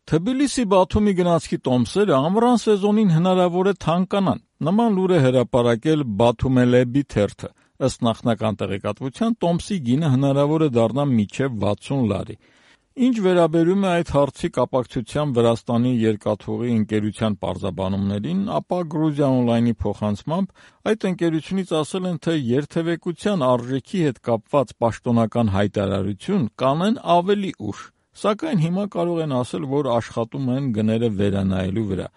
Թբիլիսի-Բաթումի գնացքի տոմսերը ամռան սեզոնին հնարավոր է թանկանան։ Նման լուր է հրապարակել Բաթումելեբի թերթը։ Ըստ նախնական տեղեկատվության, տոմսի գինը հնարավոր է դառնա մինչև 60 լարի։ Ինչ վերաբերում է այդ հարցի կապակցությամբ Վրաստանի երկաթուղի ընկերության պարզաբանումներին, ապա Գրուզիա Օնլայնի փոխանցմամբ այդ ընկերությունից ասել են, թե երթևեկության արժեքի հետ կապված պաշտոնական հայտարարություն կանեն ավելի ուշ, սակայն հիմա կարող են ասել, որ աշխատում են գները վերանայելու վրա։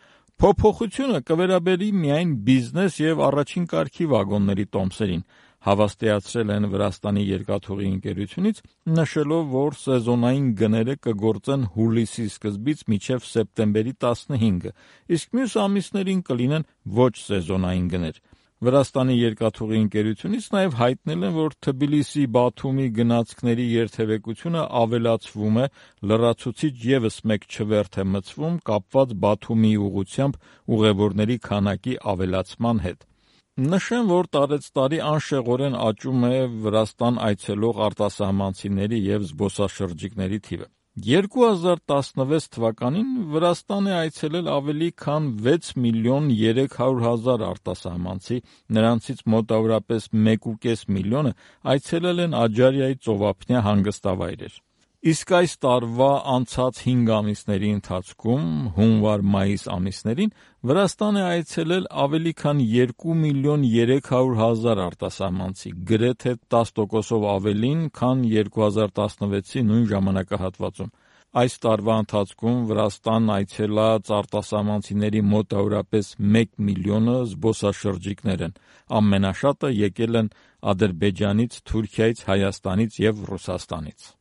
Փոփոխությունը կվերաբերի միայն բիզնես և առաջին կարգի վագոնների տոմսերին, հավաստիացրել են Վրաստանի երկաթուղի ընկերությունից, նշելով, որ սեզոնային գները կգործեն հուլիսի սկզբից մինչև սեպտեմբերի 15-ը, իսկ մյուս ամիսներին կլինեն ոչ սեզոնային գներ։ Վրաստանի երկաթուղի ընկերությունից նաև հայտնել են, որ Թբիլիսի-Բաթումի գնացքների երթևեկությունը ավելացվում է, լրացուցիչ ևս մեկ չվերթ է մտցվում կապված Բաթումի ուղղությամբ ուղևորների քանակի ավելացման հետ։ Նշեմ, որ տարեցտարի անշեղորեն աճում է Վրաստան այցելող արտասահմանցիների և զբոսաշրջիկների թիվը։ 2016 թվականին Վրաստան է այցելել ավելի քան 6 միլիոն 300 հազար արտասահմանցի, նրանցից մոտավորապես 1,5 միլիոնը այցելել են Աջարիայի ծովափնյա հանգստավայրեր։ Իսկ այս տարվա անցած 5 ամիսների ընթացքում, հունվար-մայիս ամիսներին, Վրաստան է այցելել ավելի քան 2 միլիոն 300 հազար արտասահմանցի, գրեթե 10%-ով ավելին, քան 2016-ի նույն ժամանակահատվածում։ Այս տարվա ընթացքում Վրաստան այցելած արտասահմանցիների մոտավորապես 1 միլիոնը զբոսաշրջիկներ են։ Ամենաշատը եկել են Ադրբեջանից, Թուրքիայից, Հայաստանից և Ռուսաստանից։